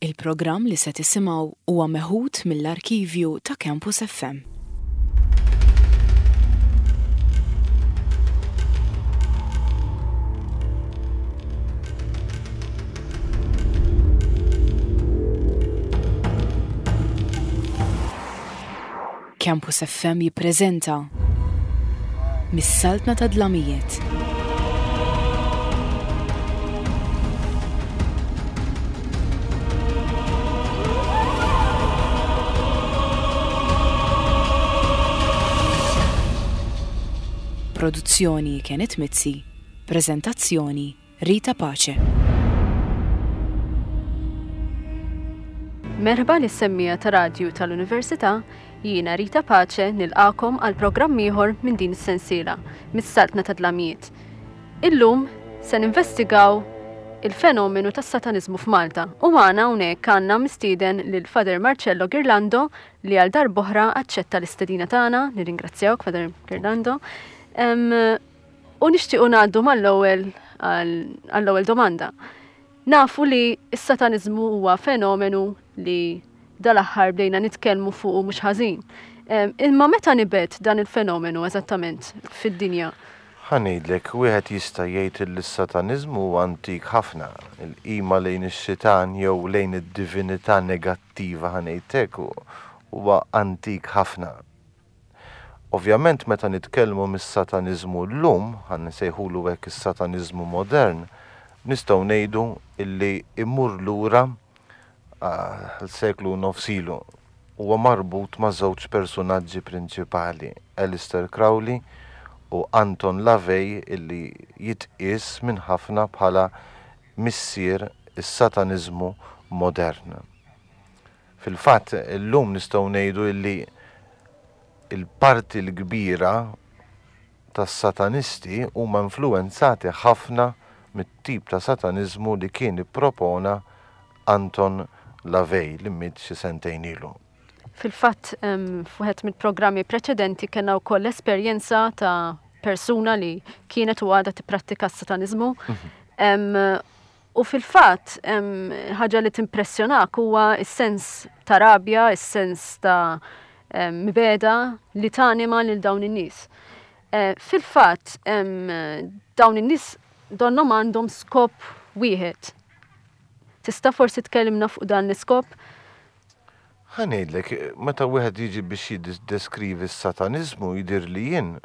Il-programm li se tisimgħu huwa meħud mill-arkivju ta' Campus FM. Campus FM jippreżenta Mis-Saltna ta' Dlamijiet. Produzzjoni Kenneth Mizzi, preżentazzjoni Rita Pace. Merħba lis-semmiegħa ta' radju tal-Università, jiena Rita Pace nilqagħkom għal programm ieħor minn din is-sensiela, Mis-Saltna tad-Dlamijiet. Illum se ninvestigaw il-fenomenu tas-Sataniżmu f'Malta u magħna hawnhekk għandna mistieden lil Father Marcello Ghirlando li għal darb'oħra aċċetta l-istedina tagħna, nirringrazzjawk Father Ghirlando. U nixtiequ ngħaddu mal-ewwel għall-ewwel domanda. Nafu li s-sataniżmu huwa fenomenu li dal-aħħar bdejna nitkellmu fuqu mhux ħażin. Imma meta nibet dan il-fenomenu eżattament fid-dinja? Ħa ngħidlek, wieħed jista' jgħid li s-sataniżmu huwa antik ħafna. Il-qima lejn ix-xitan jew lejn id-divinità negattiva ħa ngħid hekk huwa antik ħafna. Ovvjament meta nitkellmu mis-sataniżmu llum, ħa nsejħulu hekk is-sataniżmu modern, nistgħu ngħidu illi jmur lura għal seklu u nofs ilu. Huwa marbut ma' żewġ persunaġġi prinċipali, Aleister Crowley u Anton LaVey illi jitqies minn ħafna bħala missier is-sataniżmu modern. Fil-fatt, illum nistgħu ngħidu illi l-parti l-kbira tas-Satanisti huma influwenzati ħafna mit-tip ta' Sataniżmu li kien ippropona Anton LaVey li miet xi sentejn ilu. Fil-fatt, f'wieħed mill-programmi preċedenti kellna wkoll esperjenza ta' persuna li kienet u għadha tipprattika s-Sataniżmu. U fil-fatt, ħaġa li timpressjonak huwa s-sens ta' rabja, is-sens ta' mibegħda li tanima lil dawn in-nies. Eh, fil-fatt, dawn in-nies donnhom għandhom skop wieħed. Tista' forsi tkellimna fuq dan l-iskop? Ħa ngħidlek, meta wieħed jiġi biex jiddeskrivi s-sataniżmu jidhirli jien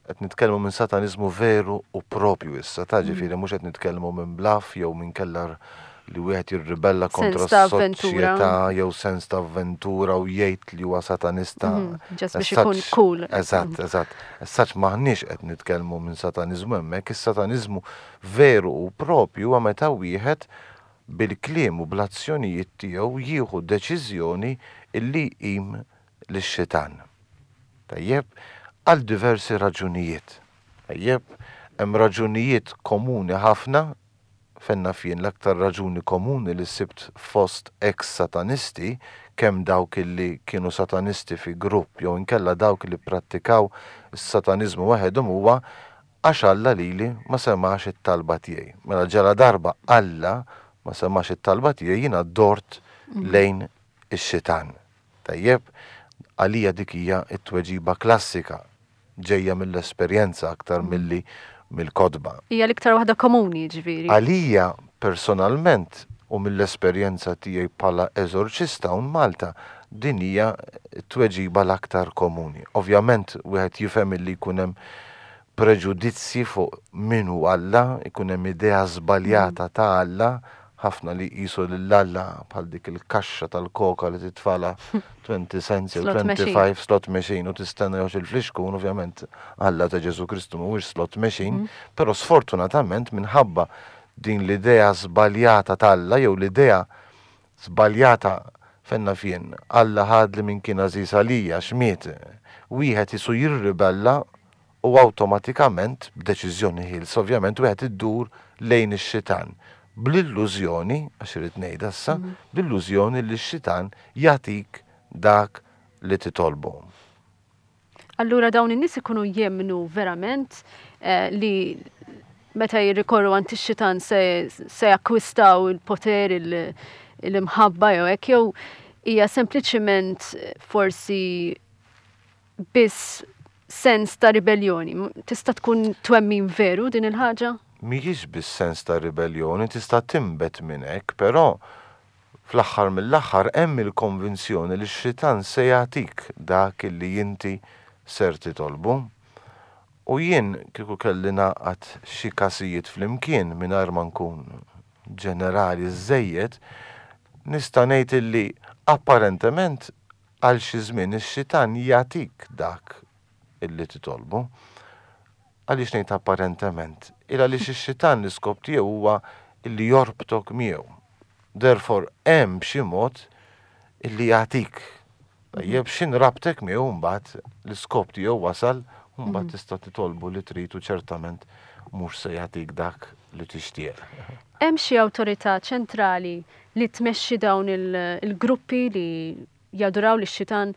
Qed nitkellmu minn sataniżmu veru u propju issa, ta' ġifieri mhux qed nitkellmu minn bluff jew minn kella li wieħed jirribella kontra s-soċjetà jew sens ta' avventura u jgħid li huwa satanista. Ġast biex ikun cool. Eżatt, eżatt. As such m'aħniex qed nitkellmu minn sataniżmu hemmhekk, is-sataniżmu veru u propju huwa meta wieħed bil-kliem u bl-azzjonijiet tiegħu jieħu deċiżjoni illi jqim lix-xitan. Tajjeb, għal diversi raġunijiet. Tajjeb, hemm raġunijiet komuni ħafna, fejn naf jien l-aktar raġuni komuni li sibt fost ex-satanisti, kemm dawk illi kienu satanisti fi grupp jew inkella dawk li pprattikaw is-sataniżmu waħedhom huwa għax Alla lili ma semax it-talba tiegħi. Mela ġaladarba Alla ma semax it-talba tiegħi jiena dort lejn ix-xitan. Tajjeb, għalija dik hija t-tweġiba klassika, ġejja mill-esperjenza aktar milli mill-kotba. Hija l-iktar waħda komuni, jiġifieri. Għalija personalment u mill-esperjenza tiegħi bħala eżorċista hawn Malta, din hija t-tweġiba l-aktar komuni. Ovvjament wieħed jifhem illi jkun hemm preġudizzji fuq min hu Alla, ikun hemm idea żbaljata ta' Alla, ħafna li jqisu lil Alla bħal dik il-kaxxa tal-koka li titfalha 20 cents jew 25 slot machine u tistenna joħroġ il-flixkun, ovvjament Alla ta' Ġesù Kristu mhuwiex slot machine, però sfortunatament minħabba din l-idea żbaljata t'Alla jew l-idea żbaljata fejn naf jien, Alla ħadli min kien għażiż għalija għax miet, wieħed qisu jirribella u awtomatikament, b'deċiżjoni ħielsa ovvjament, wieħed iddur lejn ix-xitan bl-illużjoni, għax irrid ngħidha issa, bl-illużjoni li x-xitan jagħtik dak li titolbu. Allura dawn in-nies ikunu jemmnu verament li meta jirrikorru għand ix-xitan se se jakkwistaw il-poter, l-imħabba jew hekk, jew hija sempliċiment forsi biss sens ta' ribelljoni. Tista' tkun twemmin veru din il-ħaġa? Mhijiex biss sens ta' ribelljoni, tista' tinbet minn hekk, però fl-aħħar mill-aħħar hemm il-konvinzjoni li x-xitan se jagħtik dak li inti ser titolbu. U jien kieku kelli ngħaqqad xi każijiet flimkien mingħajr ma nkun ġenerali żżejjed, nista' ngħid illi apparentement għal xi żmien ix-xitan jagħtik dak illi titolbu. Għaliex ngħid apparentement? Il għaliex ix-xitan l-iskop tiegħu huwa illi jorbtok miegħu. Therefore hemm b'xi mod illi jagħtik. Tajjeb, x'in rabtek miegħu mbagħad l-iskop tiegħu wasal u mbagħad tista' titolbu li trid u ċertament mhux se jagħtik dak li tixtieq. Hemm xi awtorità ċentrali li tmexxi dawn il-gruppi li jaduraw lix-xitan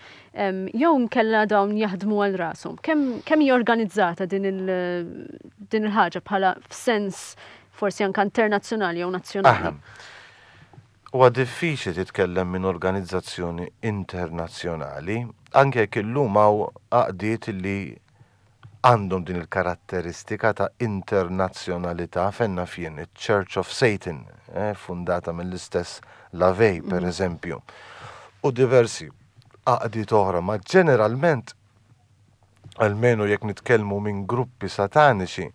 jew inkella dawn jaħdmu għal rashom? Kemm kemm hija organizzata din il-ħaġa bħala f'sens forsi anke internazzjonali jew nazzjonali? Huwa diffiċli titkellem minn organizzazzjoni internazzjonali, anke jekk illum hawn għaqdiet li għandhom din il-karatteristika ta' internazzjonalità, fejn naf jien, iċ-Church of Satan, fundata mill-istess LaVey, per eżempju, u diversi għaqdiet oħra, ma ġeneralment, almenu jekk nitkellmu minn gruppi sataniċi,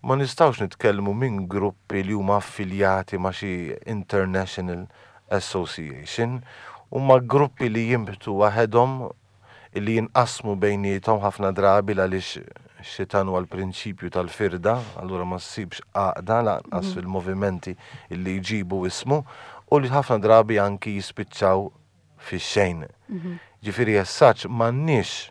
ma nistgħux nitkellmu minn gruppi li huma affiljati ma' xi international association, huma gruppi li jinbtu waħedhom illi jinqasmu bejniethom ħafna drabi l-għaliex x-xitan huwa l-prinċipju tal-firda, allura ma ssibx għaqda lanqas fil-movimenti illi jġibu ismu u li ħafna drabi anki jispiċċaw fix-xejn. Ġifieri as such m'għandniex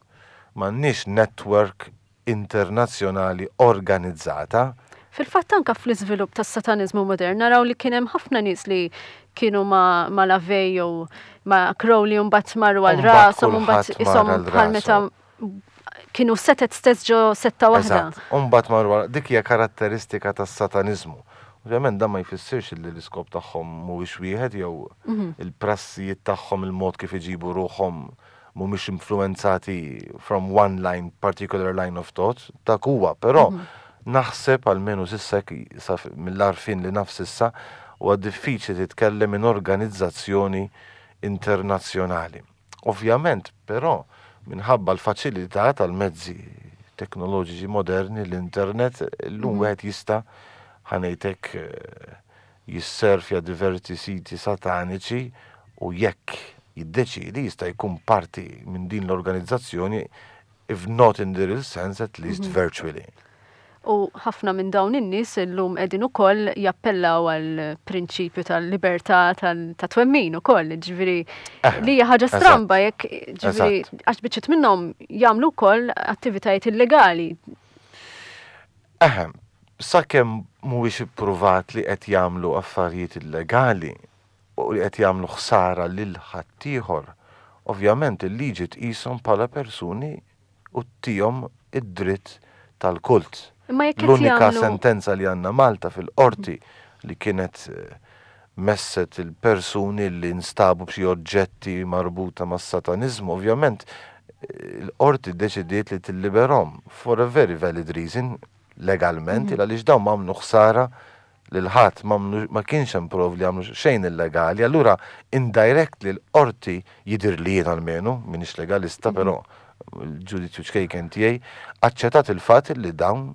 m'għandniex network internazzjonali organizzata. Fil-fatt anke fl-iżvilupp tas-Sataniżmu modern naraw li kien hemm ħafna nies li kienu ma' ma' LaVey jew ma' Crowley u mbagħad marru għal rashom u mbagħad ishom bħal meta kienu setet stess ġo setta waħda. Eżatt, u mbagħad marru għal dik hija karatteristika tas-Sataniżmu. Ovvjament dan ma jfissirx li l-iskop tagħhom mhuwiex wieħed jew il-prassijiet tagħhom il-mod kif iġibu ruħhom mhumiex influwenzati from one line, particular line of thought, dak huwa, però naħseb almenu s'issa hekk mill-għarfien li naf s'issa, huwa diffiċli titkellem minn organizzazzjoni internazzjonali. Ovvjament, però, minħabba l-faċilità tal-mezzi teknoloġiċi moderni, l-internet, illum wieħed jista' ħa ngħid hekk, jisserfja diversi siti sataniċi u jekk jiddeċiedi jista' jkun parti minn din l-organizzazzjoni if not in the real sense at least virtually. U ħafna minn dawn in-nies illum qegħdin ukoll jappellaw għall-prinċipju tal-libertà ta' twemmin ukoll, ġifieri li hija ħaġa stramba jekk ġifieri għax biċċiet minnhom jagħmlu wkoll attivitajiet illegali. Eħe, sakemm mhuwiex ippruvat li qed jagħmlu affarijiet illegali u li qed jagħmlu ħsara lil ħaddieħor, ovvjament il-liġi tqishom bħala persuni u ttihom id-dritt tal-kult. Imma jekk qed L-unika jagħmlu. sentenza li għandna Malta fil-qorti li kienet messet il-persuni li nstabu b'xi oġġetti marbuta mas-sataniżmu, ovvjament il-qorti ddeċidiet li tilliberhom for a very valid reason, legalment, il għaliex dawn m'għamlu ħsara lil ħadd, ma kienx hemm prov li għamlu xejn illegali, allura indirectly l-qorti jidhirli jien almenu, m'iniex legalista, però l-ġudizzju ċkejken tiegħi, aċċettat il-fatt li dawn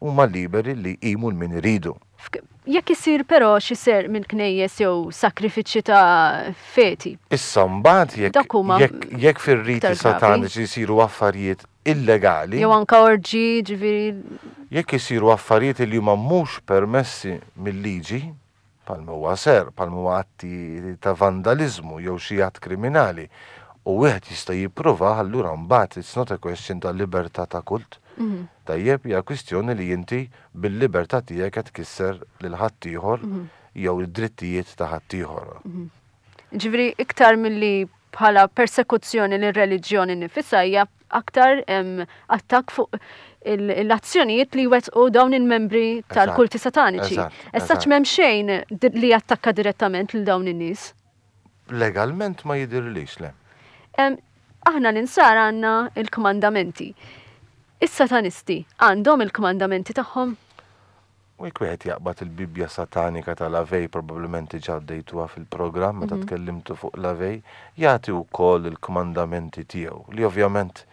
huma liberi li jqimu 'l min iridu. Jekk isir però xi serq minn knejjes jew sakrifiċċji ta' feti. Issa mbagħad jekk Dak huma jekk jekk fir-riti iktar gravi. sataniċi jsiru affarijiet illegali. Jew anke orġi, ġifieri. Jekk isiru affarijiet li huma mhux permessi mil-liġi, bħalma huwa serq, bħalma huwa atti ta' vandaliżmu jew xi att kriminali, u wieħed jista' jippruvah, allura mbagħad it's not a question ta' libertà ta' kult. Tajjeb, hija kwistjoni li inti bil-libertà tiegħek qed tkisser lil ħaddieħor jew id-drittijiet ta' ħaddieħor. Ġifieri iktar milli bħala persekuzzjoni lir-reliġjon innifisha hija aktar attakk fuq l-azzjonijiet li jwettqu dawn il-membri tal-kulti sataniċi. As such m'hemm xejn li jattakka direttament lil dawn in-nies. Legalment ma jidhirlix, le. Aħna l-Insara għandna l-kmandamenti. Is-Satanisti għandhom il-kmandamenti tagħhom? U jekk wieħed jaqbad il-Bibbja Satanika ta' LaVey, probabbilment diġà għaddejtuha fil-programm meta tkellimtu fuq LaVey, jagħti wkoll il-kmandamenti tiegħu, li ovvjament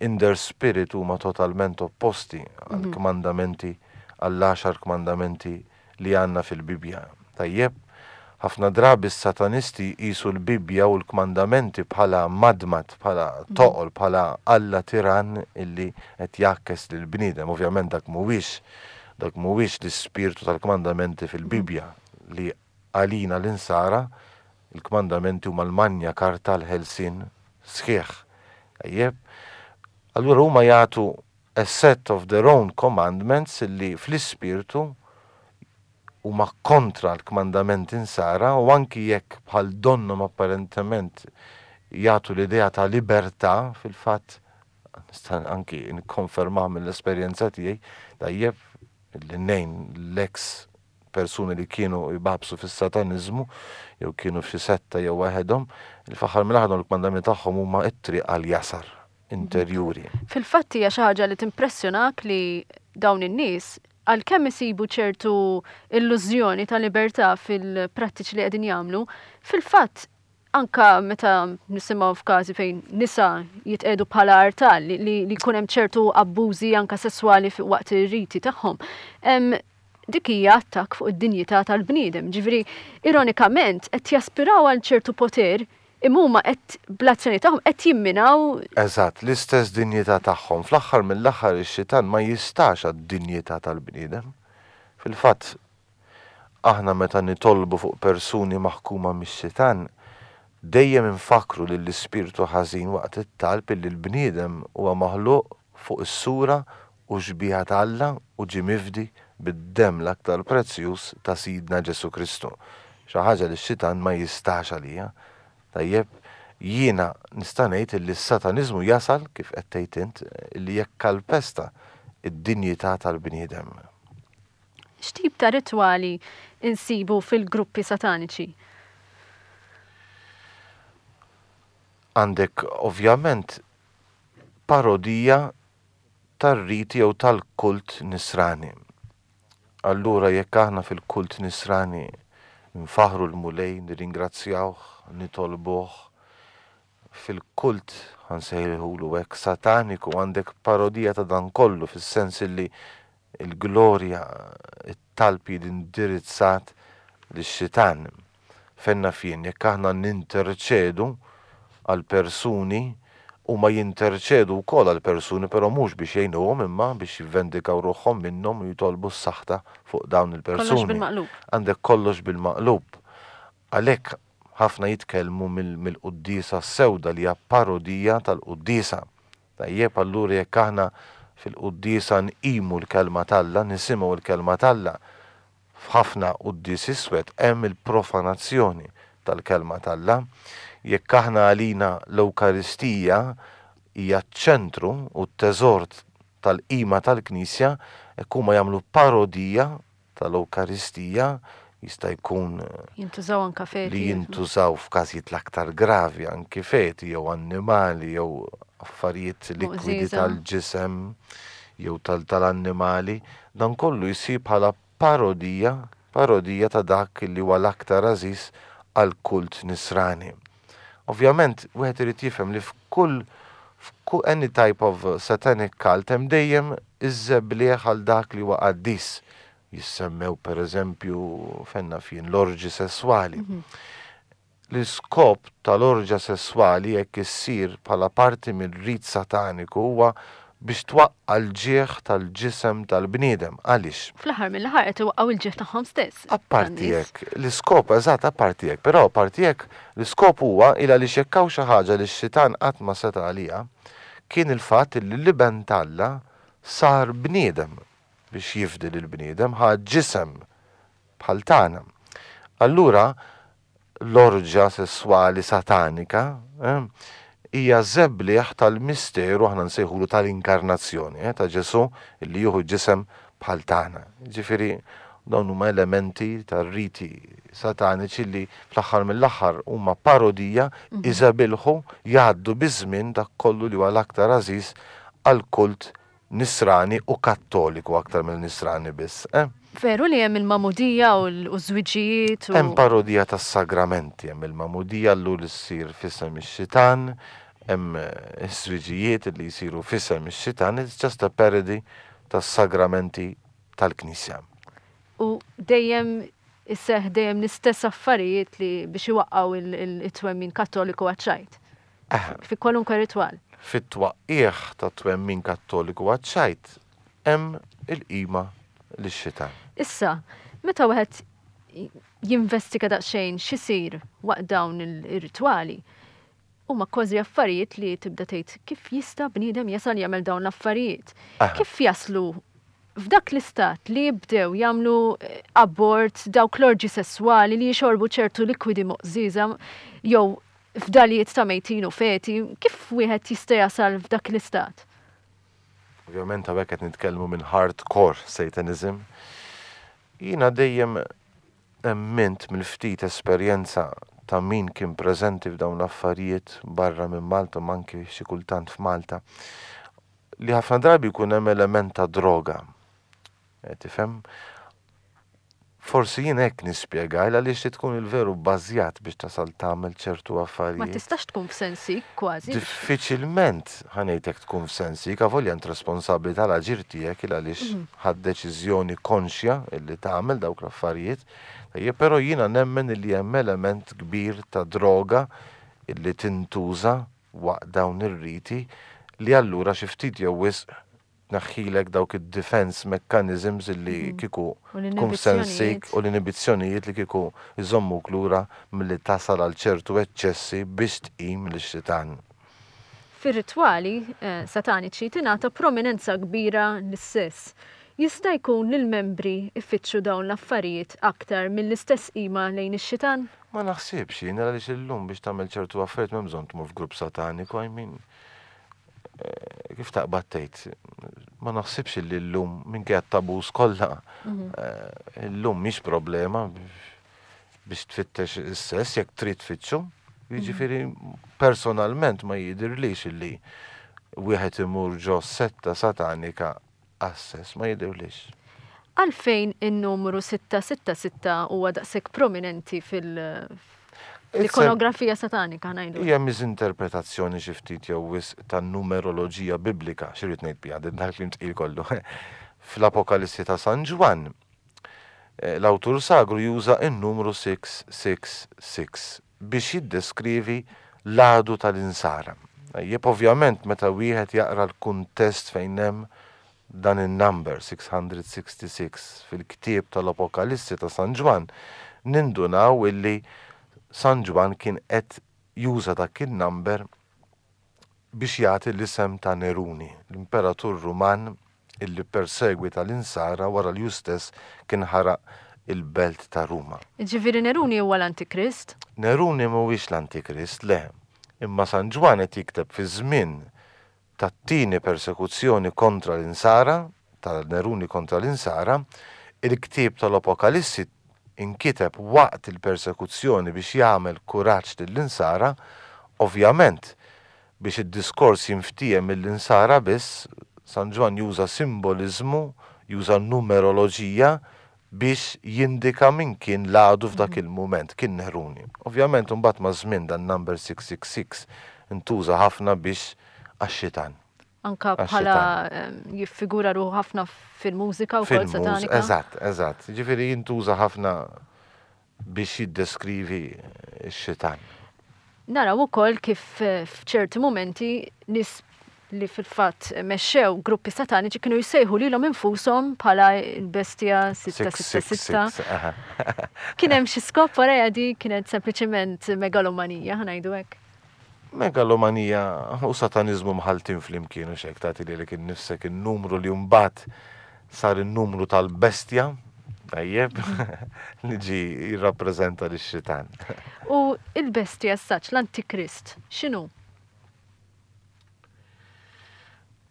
in their spirit huma totalment opposti għall-kmandamenti, għall-għaxar kmandamenti li għandna fil-Bibbja. Tajjeb? Ħafna drabi s-Satanisti jqisu l-Bibbja u l-kmandamenti bħala madmad, bħala toqol, bħala Alla tirann illi qed jgħakkes lill-bniedem. Ovvjament dak mhuwiex dak mhuwiex l-ispirtu tal-kmandamenti fil-Bibbja li għalina l-Insara l-kmandamenti huma l-Magna Carta għall-ħelsien sħiħ. Tajjeb? Allura huma jagħtu a set of their own commandments illi fl-ispirtu huma kontra l-kmandamenti Nsara u anki jekk bħal donnhom apparentement jagħtu l-idea ta' libertà, fil-fatt nista' anki nikkonfermah mill-esperjenza tiegħi, tajjeb, li ngħin l-eks persuni li kienu jbagħbsu fis-sataniżmu jew kienu f'xi setta jew waħedhom, li fl-aħħar mill-aħħar dawn il-kmandamenti tagħhom huma t-triq għall-jasar interjuri. Fil-fatt hija xi ħaġa li timpressjonak li dawn in-nies għalkemm isibu ċertu illużjoni ta' libertà fil-prattiċi li qegħdin jagħmlu, fil-fatt anka meta nisimgħu f'każi fejn nisa jitqegħdu bħala artal li, li, li jkun hemm ċertu abbużi anka sesswali waqt ir-riti tagħhom. Dik hija attakk fuq id-dinjità tal-bniedem. Ġifieri, ironikament, qed jaspiraw għal ċertu poter imma huma qed bl-azzjoni tagħhom qed jimminaw. Eżatt, l-istess dinjità tagħhom. Fl-aħħar mill-aħħar ix-xitan ma jistax għad-dinjità tal-bniedem. Fil-fatt, aħna meta nitolbu fuq persuni maħkuma mix-xitan, dejjem infakkru lill-ispirtu ħażin waqt it-talb illi l-bniedem huwa maħluq fuq is-sura u x-xbieha ta' Alla u ġie mifdi bid-demm l-aktar prezzjuż ta' Sidna Ġesù Kristu. Xi ħaġa li x-xitan ma jistax għaliha. Tajjeb, jiena nista' ngħid illi s-sataniżmu jasal, kif qed tgħid int, illi jekkalpesta d-dinjità tal-bniedem. X'tip ta' ritwali nsibu fil-gruppi sataniċi? Għandek ovvjament parodija tar-riti jew tal-kult nisrani. Allura jekk aħna fil-kult nisrani nfaħħru l-Mulej, nirringrazzjawh, nitolbuh, fil-kult, ħa nsejħulu hekk, sataniku għandek parodija ta' dan kollu fis-sens illi l-glorja, it-talb jiġi indirizzat lix-xitan. Fejn naf jien, jekk aħna ninterċedu għal persuni, huma jinterċedu wkoll għal persuni però mhux biex jgħinuhom imma biex jivvendikaw ruħhom minnhom u jitolbu s-saħta fuq dawn il-persuni. Kollox bil-maqlub. Għandek kollox bil-maqlub. Għalhekk ħafna jitkellmu mill-quddiesa s-sewda li hija parodija tal-quddiesa. Tajjeb, allura jekk aħna fil-quddiesa nqimu l-Kelma t'Alla, nisimgħu l-Kelma t'Alla, F'ħafna quddies iswed hemm il-profanazzjoni tal-Kelma t'Alla. Jekk aħna għalina l-Ewkaristija hija ċ-ċentru u t-teżor tal-qima tal-Knisja, hekk huma jagħmlu parodija tal-Ewkaristija, jista' jkun Jintużaw anka feti. li jintużaw f'każijiet l-aktar gravi anki feti jew annimali jew affarijiet likwidi tal-ġisem jew tal-annimali, dan kollu jsir bħala parodija, parodija ta' dak li huwa l-aktar għażiż għall-kult Nisrani. Ovvjament, wieħed irid jifhem li f'kull f'kull any type of satanic cult hemm dejjem iż-żebliegħ għal dak li huwa qaddis. Jissemmew pereżempju, fejn naf jien, l-orġi sesswali. L-iskop tal-orġa sesswali jekk issir bħala parti minn rit sataniku huwa biex twaqqa' l-ġieħ tal-ġisem tal-bniedem. Għaliex? Fl-aħħar mill-aħħar qed iwaqqgħu l-ġieħ tagħhom stess. Apparti hekk, l-iskop, eżatt, apparti hekk, però apparti hekk, l-iskop huwa il għaliex jekk hawn xi ħaġa li x-xitan qatt ma seta' għaliha, kien il-fatt li l-Iben t'Alla sar bniedem biex jifdi lill-bniedem, ħa ġisem bħal tagħna. Allura, l-orġja sesswali satanika hija żebliħ tal-misteru aħna nsejħulu tal-inkarnazzjoni, ta' Ġesù li jieħu ġisem bħal tagħna. Ġifieri dawn huma elementi tar-riti sataniċi li fl-aħħar mill-aħħar huma parodija iżebilħu jgħaddu biż-żmien dak kollu li huwa l-aktar għażiż għall-kult Nisrani u Kattoliku aktar milli Nisrani biss, eh. Veru li hemm il-magħmudija u ż-żwiġijiet u. Hemm parodija tas-sagramenti, hemm il-magħmudija llur li ssir f'isem ix-xitan, hemm iż-żwiġijiet li jsiru f'isem ix-xitan, it's just a parody tas-sagramenti tal-Knisja. U dejjem iseħħ dejjem l-istess affarijiet li biex iwaqqgħu it-twemmin Kattoliku għaċ-ċajt. Fi kwalunkwe ritwal. Fit-twaqqigħ tat-twemmin Kattoliku għaċ-ċajt hemm il-qima lix-xitan. Issa, meta wieħed jinvestiga daqsxejn x'isir waqt dawn ir-ritwali, huma kważi affarijiet li tibda tgħid kif jista' bniedem jasal jagħmel dawn l-affarijiet. Kif jaslu f'dak l-istat li jibdew jagħmlu abort, dawk l-orġi sesswali li jixorbu ċertu likwidi moqżieża jew fdalijiet ta' mejtin u feti, kif wieħed jista' jasal f'dak l-istat? Ovvjament hawnhekk qed nitkellmu minn hardcore Satanism. Jiena dejjem emmint mill-ftit esperjenza ta' min kien preżenti f'dawn l-affarijiet barra minn Malta u anki xi kultant f'Malta, li ħafna drabi jkun hemm element ta' droga. Tifhem? Forsi jien hekk nispjega il għaliex trid tkun il-veru bbażjat biex tasal tagħmel ċertu affarijiet. Ma tistax tkun f'sensik kważi. Diffiċilment ħa ngħidlek tkun f'sensik avolja int responsabbli tal-aġir tiegħek il għaliex ħadt deċiżjoni konxja illi tagħmel dawk l-affarijiet. Tajjeb, però jiena nemmen illi hemm element kbir ta' droga illi tintuża waqt dawn ir-riti li allura xi ftit jew wisq tneħħilek dawk id-defense mechanisms illi kieku tkun f'sensik u l-inibizzjonijiet li kieku jżommuk lura milli tasal għal ċertu eċċessi biex tqim lix-xitan. Fir-ritwali sataniċi tingħata prominenza kbira lis-sess. Jista' jkun li l-membri jfittxu dawn l-affarijiet aktar mill-istess qima lejn ix-xitan? Ma naħsibx jien, għaliex illum biex tagħmel ċertu affarijiet m'hemm bżonn tmur f'grupp sataniku, I mean, kif taqbad tgħid, ma naħsibx li llum minkejja t-taboos kollha, illum mhix problema biex tfittex is-sess jekk trid tfittxu. Jiġifieri personalment ma jidhirlix illi wieħed imur ġo setta satanika għas-sess, ma jidhirlix. Għalfejn in-numru 666 huwa daqshekk prominenti fil L-ikonografija satanika ngħidu. Hija miżinterpretazzjoni xi ftit jew wisq tan-numeroloġija biblika, xi rrid ngħid biha dan il-kliem tqil kollu. Fl-Apokalissi ta' San Ġwann, l-awtur sagru juża n-numru 666 biex jiddeskrivi l-għadu tal-insara. Tajjeb, ovvjament meta wieħed jaqra l-kuntest fejn hemm Dan in-number 666 fil-ktieb tal-Apokalissi ta' San Ġwann nindunaw illi San Ġwann kien qed juża dak in-number biex jagħti l-isem ta' Neruni, l-imperatur Ruman illi ppersegwita l-Insara wara li hu stess kien ħaraq il-belt ta' Ruma. Jiġifieri Neruni huwa l-Antikrist? Neruni mhuwiex l-Antikrist, le. Imma San Ġwann qed jikteb fi żmien tat-tieni persekuzzjoni kontra l-Insara, ta' Neruni kontra l-Insara, il-ktieb tal-Apokalissi inkiteb waqt il-persekuzzjoni biex jagħmel kuraġġ lill-Insara, ovvjament, biex id-diskors jinftiehem mill-Insara biss, San Ġwann juża simboliżmu, juża numeroloġija biex jindika min kien l-għadu f'dak il-mument, kien Neruni. Ovvjament imbagħad maż-żmien dan number 666 intuża ħafna biex għax-xitan. Anka bħala jiffigura ruħu ħafna fil-mużika wkoll satanika. Eżatt, eżatt. Jiġifieri jintuża ħafna biex jiddeskrivi x-xitan. Naraw ukoll kif f'ċerti mumenti nies li fil-fatt mexxew gruppi sataniċi kienu jsejħu lilhom infushom bħala l-bestja 666. Kien hemm xi skop warajha di kienet sempliċement megalomanija, ħa ngħidu hekk? Megalomanija u sataniżmu mħalltin flimkien u x'hekk tagħti lilek innifsek in-numru li mbagħad sar in-numru tal-bestja. Tajjeb, li ġi jirrappreżenta lix-xitan. U il-bestja s-saċ, l-Antikrist, x'inhu?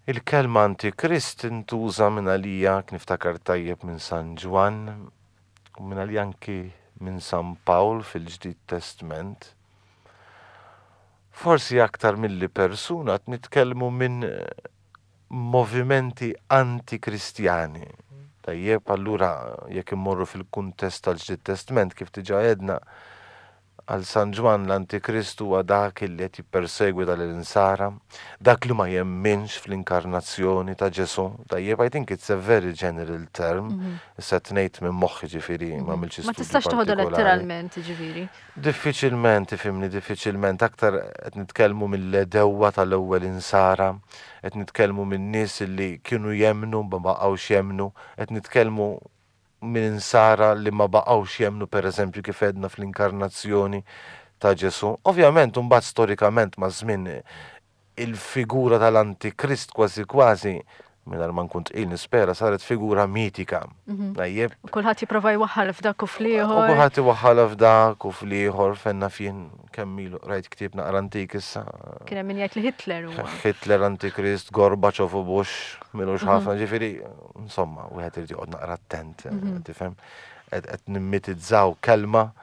Il-kelma Antikrist intuża minn għalija, niftakar tajjeb minn San Ġwann, u minn għalija anki minn San Pawl fil-Ġdid Testment. Forsi aktar milli persuna qed nitkellmu minn movimenti anti-Kristjani. Tajjeb, allura jekk immorru fil-kuntest tal-Ġdid Testment kif diġà għedna, għal San Ġwann l-Antikrist huwa dak li qed jippersegwita lill-insara, dak li ma jemminx fl-inkarnazzjoni ta' Ġesù. Tajjeb, I think it's a very general term, issa qed ngħid minn moħħi ġifieri ma għamiltx Ma istudju tistax toħodha partikolari. letteralment, ġifieri. Diffiċilment, ifhimni, diffiċilment. Aktar qed nitkellmu mill-għedewwa tal-ewwel insara, qed nitkellmu minn nies li kienu jemmnu ma baqgħux jemmnu, qed nitkellmu minn insara li ma baqgħux jemmnu pereżempju kif għedna fl-inkarnazzjoni ta' Ġesù. Ovvjament imbagħad storikament maż-żmien il-figura tal-Antikrist kważi kważi, mingħajr ma nkun tqil nispera, saret figura mitika. Mhm. Tajjeb. U kulħadd jipprova jwaħħal f'dak u fl-ieħor. U kulħadd iwaħħalha f'dak u fl-ieħor, fenna fien kemm ilu qrajt ktieb naqra antik issa. Kien hemm min jgħid li Hitler huwa. Hitler, Antikrist, Gorbachev u Bush, milux Mhm. ħafna, ġifieri, insomma, wieħed irid joqgħod naqra attent, Mhm. tifhem? Qed nimmitizzaw kelma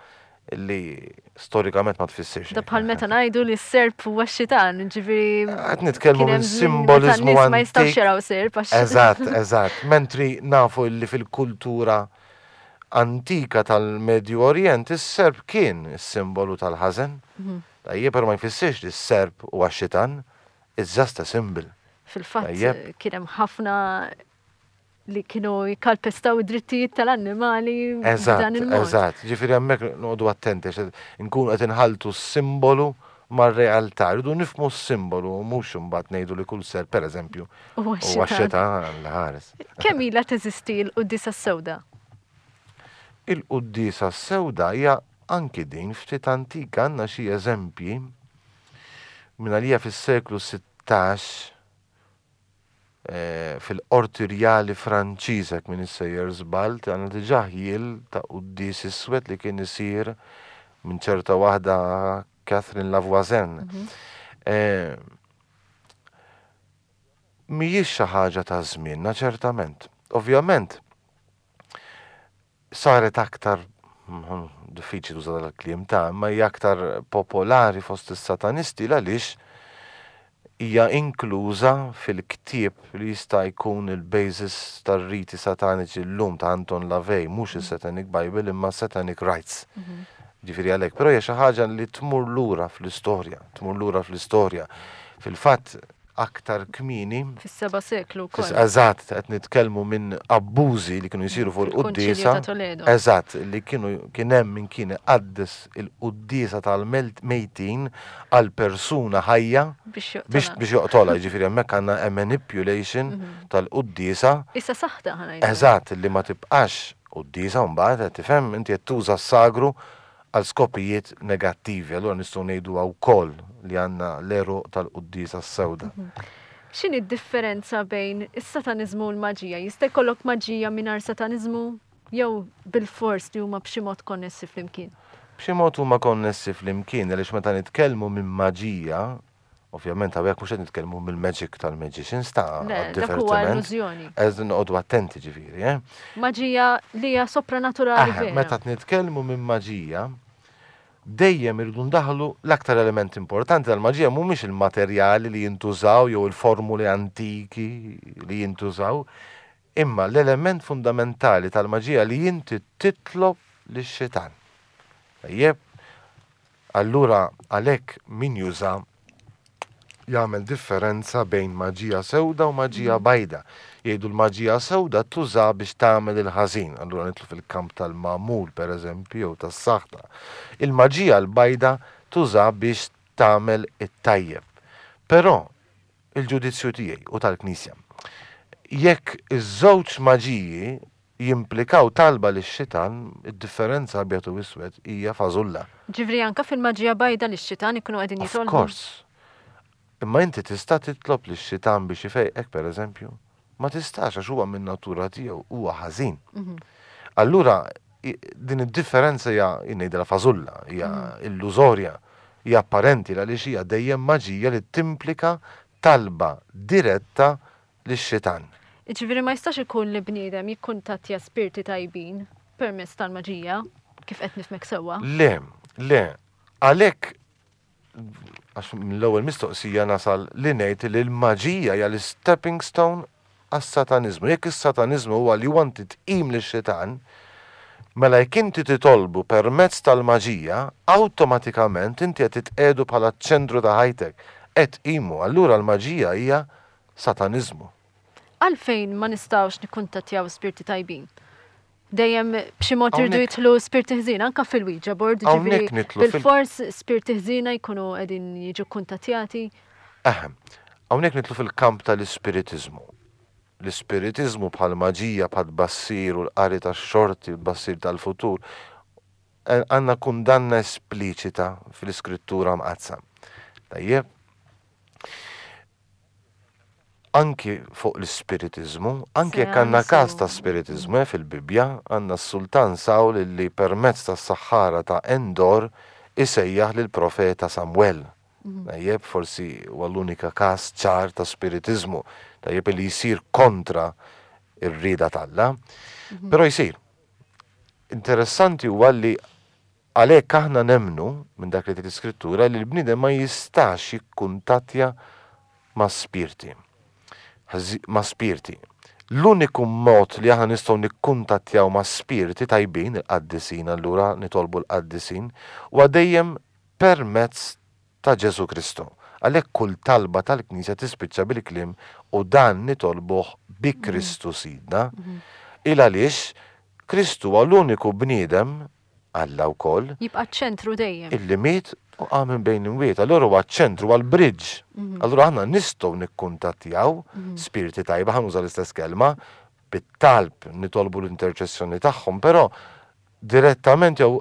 li storikament ma tfissirx. Da bħal meta ngħidu li s-serp huwa x-xitan, ġifieri. Qed nitkellmu minn simboliżmu Ma jistgħux jaraw serp għax. Eżatt, eżatt. Mentri nafu li fil-kultura antika tal-Medju Orient is-serp kien is-simbolu tal-ħażen. Mhm. Tajjeb, però ma jfissirx li s-serp huwa x-xitan, it's just a symbol. Fil-fatt kien hemm ħafna li kienu jikkalpestaw id-drittijiet tal-annimali b'dan il-mod. Eżatt, ġifieri hemmhekk noqogħdu attenti għax inkunu qed inħalltu s-simbolu mar-realtà. Rridu nifhmu s-simbolu u mhux imbagħad ngħidu li kull serp pereżempju huwa x-xitan Alla ħares. Kemm ilha teżisti l-quddiesa s-sewda? Il-quddiesa s-sewda hija anki din ftit antika għandna xi eżempji minn għalija fis-seklu 16 fil-Qorti Rjali Franċiża, jekk m'iniex sejjer żball, għandna diġà ħjiel ta' quddies iswed li kien isir minn ċerta waħda Catherine Lavoisin. Mhijiex xi ħaġa ta' żmienna ċertament. Ovvjament, saret aktar, diffiċli tuża dal-kliem ta' imma hija aktar popolari fost is-satanisti l-għaliex hija inkluża fil-ktieb li jista' jkun il-basis tar-riti sataniċi llum ta' Anton LaVey, mhux is-Satanic Bible imma Satanic Rites. Ġifieri għalhekk, però hija xi ħaġa li tmur lura fl-istorja, tmur lura fl-istorja. Fil-fatt, aktar kmieni. Fis-seba' seklu wkoll. Eżatt, qed nitkellmu minn abbużi li kienu jsiru fuq il-quddiesa. Eżatt, li kienu kien hemm min kien iqaddes il-quddiesa tal-mejtin għal persuna ħajja biex joqtolha. Jiġifieri hemmhekk għandna a manipulation tal-quddiesa. Issa saħta ħa ngħidu. Eżatt, li ma tibqax quddiesa mbagħad, qed tifhem, inti qed tuża s-sagru għal skopijiet negattivi, allura nistgħu ngħiduha wkoll li għandna l-għeruq tal-quddiesa s-sewda. X'inhi d-differenza bejn is-sataniżmu u l-maġija? Jista' jkollok maġija mingħajr sataniżmu jew bilfors li huma b'xi mod konnessi flimkien? B'xi mod huma konnessi flimkien għaliex meta nitkellmu minn maġija, Ovvjament hawnhekk mhux qed nitkellmu mill-magic tal-magicians ta' Le, dak huwa divertiment. illużjoni. Eż noqogħdu attenti ġifieri, eh. Maġija li hija sopranaturali Aha, vera. meta qed nitkellmu minn maġija, dejjem irridu ndaħħlu l-aktar element importanti tal-maġija mhumiex il-materjali li jintużaw jew il-formuli antiki li jintużaw, imma l-element fundamentali tal-maġija li inti titlob lix-xitan. Tajjeb? Allura għalhekk min juża jagħmel differenza bejn maġija sewda u maġija bajda. Jgħidu l-maġija sewda tuża biex tagħmel il-ħażin, allura nidħlu fil-kamp tal-magħmul pereżempju jew tas-saħta. Il-maġija l-bajda tuża biex tagħmel it-tajjeb. Però il-ġudizzju tiegħi u tal-Knisja, jekk iż-żewġ maġiji jimplikaw talba lix-xitan, id-differenza abjad u iswed hija fażulla. Ġifieri anke fil-maġija bajda lix-xitan ikunu qegħdin Of jitolbu? course. Imma inti tista' titlob lix-xitan biex ifejqek, pereżempju? Ma tistax għax huwa min-natura tiegħu huwa ħażin. Allura din id-differenza hija jien ngħidilha fażulla, hija illużorja, hija apparenti għaliex hija dejjem maġija li timplika talba diretta lix-xitan. Jiġifieri ma jistax ikun li bniedem jikkuntattja spirti tajbin permezz tal-maġija, kif qed nifhmek sewwa? Le, le. Għalhekk, għax mill-ewwel mistoqsija nasal li ngħid li l-maġija hija l-istepping stone għas-sataniżmu. Jekk is-sataniżmu huwa li huwa inti tqim lix-xitan, mela jekk inti titolbu permezz tal-maġija, awtomatikament inti qed titqiegħdu bħala ċ-ċentru ta' ħajtek, qed tqimu. Allura l-maġija hija sataniżmu. Għalfejn ma nistgħux nikkuntattjaw spirti tajbin? Dejjem b'xi mod irdu jidħlu spirti ħżiena anke fil-Ouija board, jiġifieri bilfors spirti ħżiena jkunu qegħdin jiġu kkuntattjati. Eħe, hawnhekk nidħlu fil-kamp tal-ispiritiżmu. L-ispiritiżmu bħall-maġija, bħat-tbassir u l-qari tax-xorti u t-tbassir tal-futur, għandna kundanna espliċita fl-Iskrittura Mqaddsa. Tajjeb? Anki fuq l-ispiritiżmu, anki jekk għandna każ ta' spiritiżmu eh, fil-Bibbja, għandna s-Sultan Sawl li permezz tas-saħħara ta' Endor isejjaħ lill-profeta Samwel. Mhm. Tajjeb, forsi huwa l-unika każ ċar ta' spiritiżmu, tajjeb li jsir kontra ir-rieda t'Alla, mhm. però jsir. Interessanti huwa li Għalhekk aħna nemmnu, minn dak li tgħid l-Iskrittura, li l-bniedem ma jistax jikkuntattja ma' spirti. Ma' spirti. L-uniku mod li aħna nistgħu nikkuntattjaw ma' spirti tajbin, il-qaddisin allura nitolbu l-qaddisin, huwa dejjem permezz ta' Ġesù Kristu. Għalhekk kull talba tal-Knisja tispiċċa bil-kliem u dan nitolbuh bi Kristu Sidna. Il għaliex Kristu huwa l-uniku bniedem Alla wkoll. Jibqa' ċ-ċentru dejjem. Illi miet u qam minn bejn l-imwiet. Allura huwa ċ-ċentru, huwa l-bridge. Allura aħna nistgħu nikkuntattjaw spirti tajba, ħa nuża l-istess kelma, bit-talb nitolbu l-interċessjoni tagħhom, però direttament jew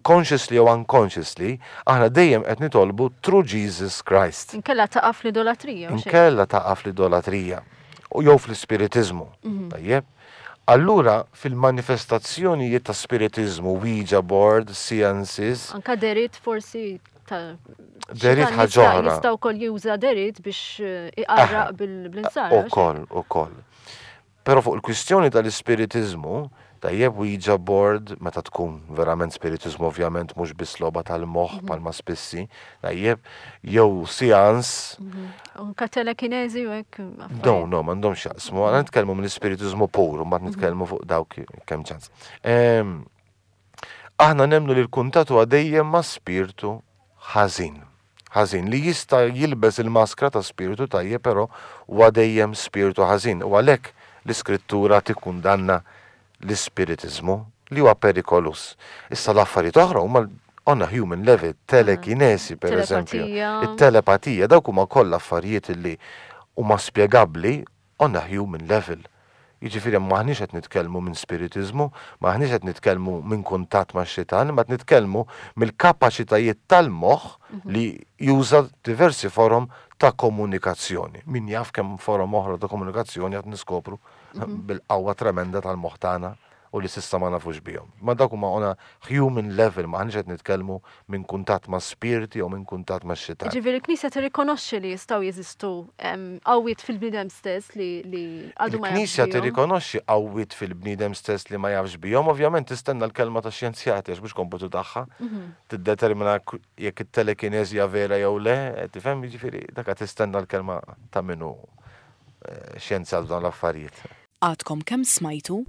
consciously jew unconsciously, aħna dejjem qed nitolbu through Jesus Christ. Inkella taqa' fl-idolatrija. Inkella taqa' fl-idolatrija. U jew fl-ispiritiżmu. Tajjeb? Allura fil-manifestazzjonijiet ta' spiritiżmu, Ouija board, seances. Anka derit forsi ta' Derit ħaġa oħra. Jista' wkoll juża derit biex eh, iqarraq bil-insara. Ukoll, ukoll. Però fuq il-kwistjoni tal-ispiritiżmu, tajjeb Ouija board, meta tkun verament spiritiżmu ovvjament mhux biss logħba tal-moħħ bħalma spissi, tajjeb, jew seance. Anka telekinezi u hekk. No, no, m'għandhomx x'jaqsmu. Għandna nitkellmu mill-ispiritiżmu pur, mbagħad nitkellmu fuq dawk kemm ċans. Aħna nemmnu li l-kuntatt huwa dejjem ma' spirtu ħażin. Ħażin li jista' jilbes il-maskra ta' spirtu tajjeb però huwa dejjem spirtu ħażin u għalhekk l-Iskrittura tikkundanna l-ispiritiżmu li huwa perikoluż. Issa l-affarijiet oħra huma on a human level, telekinesi per eżempju, it-telepatija, dawk huma kollha affarijiet li huma spjegabbli on a human level. Jiġifieri m'aħniex qed nitkellmu minn spiritiżmu, m'aħniex qed nitkellmu minn kuntatt max-xitan, imma qed nitkellmu mill-kapaċitajiet tal-moħħ li juża diversi forom ta' komunikazzjoni. Min jaf kemm forom oħra ta' komunikazzjoni qed niskopru bil-qawwa tremenda tal-moħħ tagħna u li s'issa ma nafux bihom. Imma dawk huma on a human level, m'aħniex qed nitkellmu minn kuntatt ma' spirti jew minn kuntatt ma' xitan. Jiġifieri l-Knisja tirrikonoxxi li jistgħu jeżistu qawwiet fil-bniedem stess li għadu ma jafx bihom. Il-Knisja tirrikonoxxi qawwiet fil-bniedem stess li ma jafx bihom, ovvjament tistenna l-kelma tax-xjenzjati għax mhux kompitu tagħha tiddetermina jekk it-telekineżi hija vera jew le, tifhem, jiġifieri dak tistenna l-kelma ta' min hu xjenzjat f'dawn l-affarijiet. Għadkom kemm smajtu?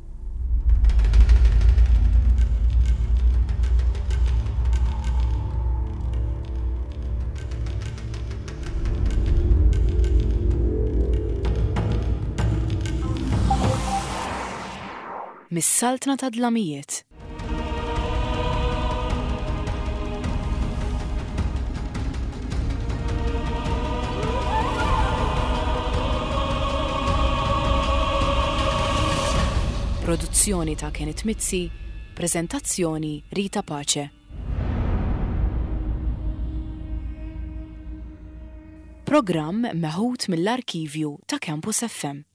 Mis-Saltna tad-Dlamijiet. Produzzjoni ta' Kenneth Mizzi, preżentazzjoni Rita Pace. Programm meħud mill-arkivju ta' Campus FM.